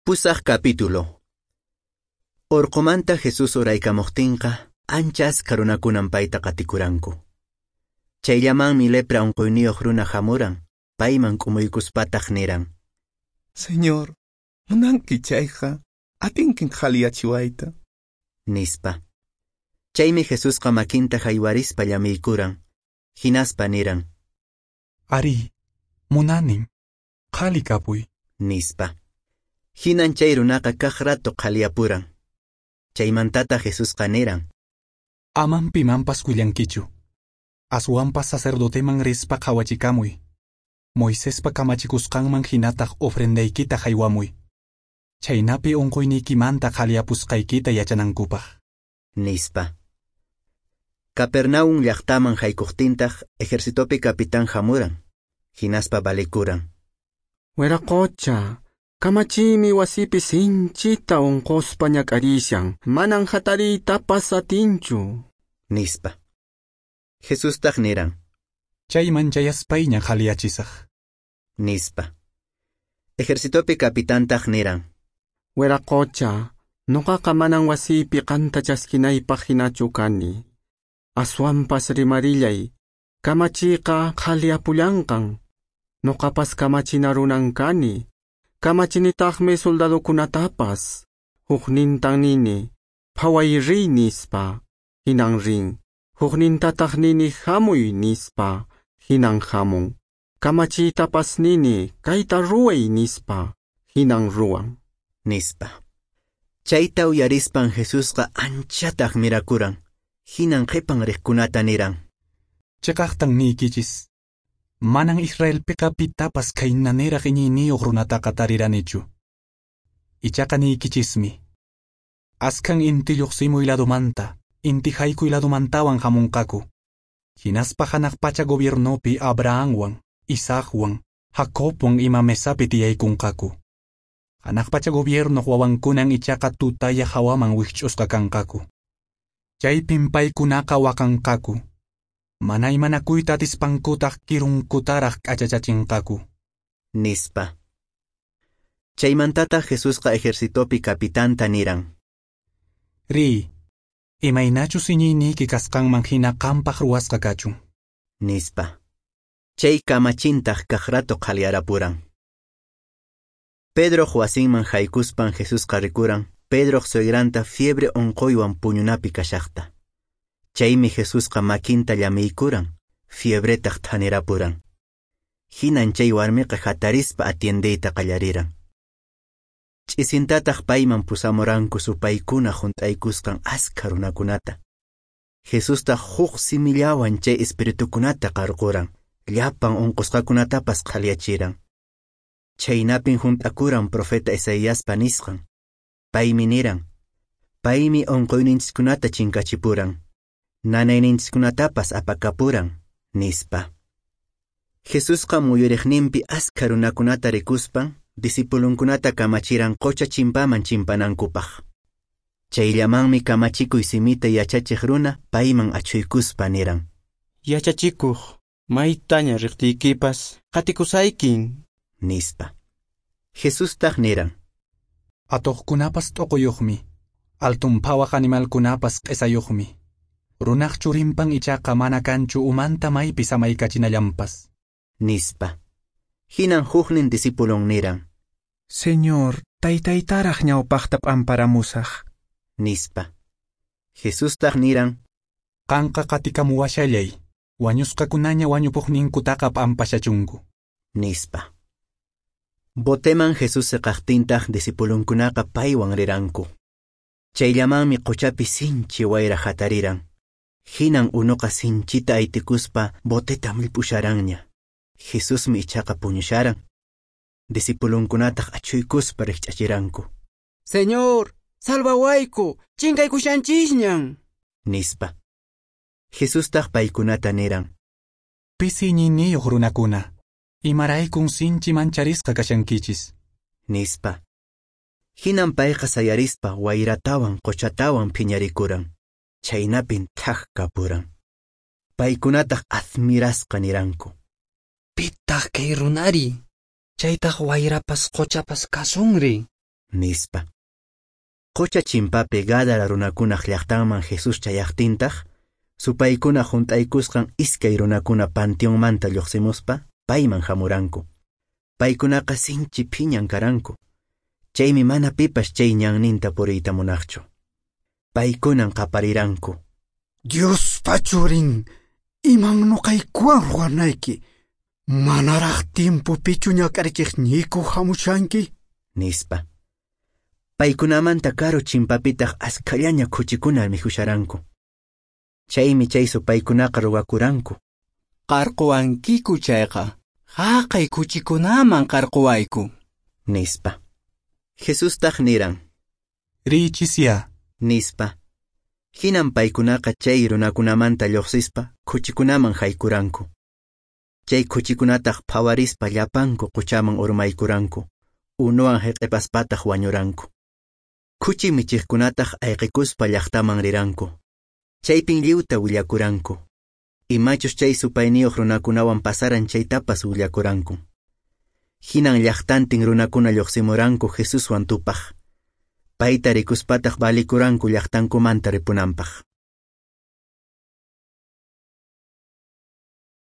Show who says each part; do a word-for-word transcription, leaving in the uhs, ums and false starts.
Speaker 1: Pusaq capítulo. Orqomanta Jesús uraykamuqtinqa ancha askha runakunan payta qatikuranku. Chayllamanmi lepra unquyniyuq runa hamuran, payman k'umuykuspataq niran:
Speaker 2: Señor, munanki chayqa, atinkin qhaliyachiwayta,
Speaker 1: nispa. Chaymi Jesusqa makinta haywarispa llamiykuran, hinaspa niran:
Speaker 3: Ari, munanin, qhali kapuy,
Speaker 1: nispa. Hinan chay runaqa kaq rato qhaliyapuran. Chaymantata Jesusqa niran:
Speaker 3: Aman pimanpas willankichu. Aswanpas sacerdoteman rispa qhawachikamuy. Moisespa kamachikusqanman hinataq ofrendaykita haywamuy. Chaynapi unquyniykimanta qhaliyapusqaykita yachanankupaq,
Speaker 1: nispa. Capernaum llaqtaman haykuqtintaq ejercitopi capitán hamuran, hinaspa valikuran:
Speaker 4: Wiraqocha, kamachiymi wasipi sinchita unquspa ñak'arishan, manan hatariytapas atinchu,
Speaker 1: nispa. Jesustaq niran:
Speaker 3: Chayman chayaspayña qhaliyachisaq,
Speaker 1: nispa. Ejercitopi capitantaq niran:
Speaker 4: Wiraqocha, nuqaqa manan wasiypi qanta chaskinaypaq hinachu kani. Aswanpas rimarillay, kamachiyqa qhaliyapullanqan. Nuqapas kamachina runan kani. Kamachinitaqmi soldadokunatapas. Huknintan nini, phaway riy nispa, hinan rin. Huknintataq nini, hamuy nispa, hinan hamun. Kamachiytapas nini, kayta ruway nispa, hinan ruwan,
Speaker 1: nispa. Chayta uyarispan Jesusqa anchata admirakuran. Hinan qhipan riqkunata niran:
Speaker 3: Chiqaqtan niykichis, manan Israelpiqa pitapas khaynaniraq iñiyniyuq runataqa tariranichu. Ichaqa niykichismi, askhan inti lluqsimuy ladumanta, inti haykuy ladumantawan hamunqaku. Hinaspa hanaq pacha gobiernopi Abrahamwan, Isaacwan, Jacobwan ima mesapi tiyaykunqaku. Hanaq pacha gobiernoq wawankunan ichaqa tutaya hawaman wikch'usqa kanqaku. Chaypin paykunaqa waqanqaku. Mana imanakuyta atispankutaq kirunkutaraq k'achachachinqaku,
Speaker 1: nispa. Chaymantataq Jesusqa ejercitopi capitanta niran:
Speaker 3: Riy, imaynachus iñiyniyki kasqanman hina qampaq ruwasqa kachun,
Speaker 1: nispa. Chay kamachintaq kaq rato qhaliyarapuran. Pedroq wasinman haykuspan Jesusqa rikuran Pedroq suegranta fiebre unquywan puñunapi kashaqta. Chaymi Jesusqa makinta llamiykuran, fiebretaq thanirapuran. Hinan chay warmiqa hatarispa atiendeyta qallariran. Ch'isintataq payman pusamuranku supaykuna hunt'aykusqan askha runakunata. Jesustaq huk simillawan chay espiritukunata qarquran, llapan unqusqakunatapas qhaliyachiran. Chaynapin hunt'akuran profeta Isaiaspa nisqan. Paymi niran: Paymi unquyninchiskunata chinkachipuran, nanayninchiskunatapas apakapuran, nispa. Jesusqa muyuriqninpi askha runakunata rikuspan discipulunkunata kamachiran qocha chimpaman chimpanankupaq. Chayllamanmi kamachikuy simita yachachiq runa payman achhuykuspa niran:
Speaker 5: Yachachikuq, maytaña riqtiykipas qatikusaykin,
Speaker 1: nispa. Jesustaq niran:
Speaker 3: Atuqkunapas t'uquyuqmi, altun phawaq animalkunapas q'isayuqmi. Runaq churinpan ichaqa mana kanchu umanta maypi samaykachinallanpas,
Speaker 1: nispa. Hinan huknin discipulon niran:
Speaker 2: Señor, taytaytaraq ñawpaqta p'amparamusaq,
Speaker 1: nispa. Jesustaq niran:
Speaker 3: Qanqa qatikamuwashallay, wañusqakunaña wañupuqninkutaqa p'ampashachunku,
Speaker 1: nispa. Boteman Jesús siqaqtintaq discipulunkunaqa paywan riranku. Chayllamanmi qochapi sinchi wayra hatariran. Hinan unuqa sinchita aytikuspa boteta millp'usharanña. Jesusmi ichaqa puñusharan. Discipulunkunataq achhuykuspa rikch'achiranku:
Speaker 5: Señor, salvawayku, chinkaykushanchisñan,
Speaker 1: nispa. Jesustaq paykunata niran:
Speaker 3: Pisi iñiyniyuq runakuna, imaraykun sinchi mancharisqa kashankichis,
Speaker 1: nispa. Hinan payqa sayarispa wayratawan qochatawan phiñarikuran. Chaynapin thak kapuran. Paykunataq admirasqa niranku:
Speaker 6: Pitaq kay runari, chaytaq wayrapas qochapas kasunri.
Speaker 1: Nispa. Qocha chimpapi Gádara runakunaq llaqtanman Jesús chayaqtintaq, supaykuna hunt'aykusqan iskay runakuna panteonmanta lluqsimuspa payman hamuranku. Paykunaqa sinchi phiñan karanku. Chaymi mana pipas chay ñanninta puriyta munaqchu. Paykunan qapariranku.
Speaker 6: Diospa churin, iman nuqaykuwan ruwanayki, manaraq timpupichu ñak'arichiqniyku hamushanki?
Speaker 1: Nispa. Paykunamanta karu chimpapitaq askhallaña khuchikuna mikhusharanku. Chaymi chay supaykunaqa ruwakuranku.
Speaker 5: Qarquwankiku chayqa, haqay khuchikunaman qarquwayku.
Speaker 1: Nispa. Jesustaq niran.
Speaker 3: Riychisya.
Speaker 1: Nispa. Hinan paykunaqa chay runakunamanta lluqsispa khuchikunaman haykuranku. Chay khuchikunataq phawarispa llapanku quchaman urmaykuranku, unuwan hiq'ipaspataq wañuranku. Khuchi michiqkunataq ayqikuspa llaqtaman riranku. Chaypin lliwta willakuranku. Imachus chay supayniyuq runakunawan pasaran chaytapas willakuranku. Hinan llaqtantin runakuna lluqsimuranku Jesuswan tupaq. Payta rikuspataq valikuranku llaqtankumanta ripunanpaq.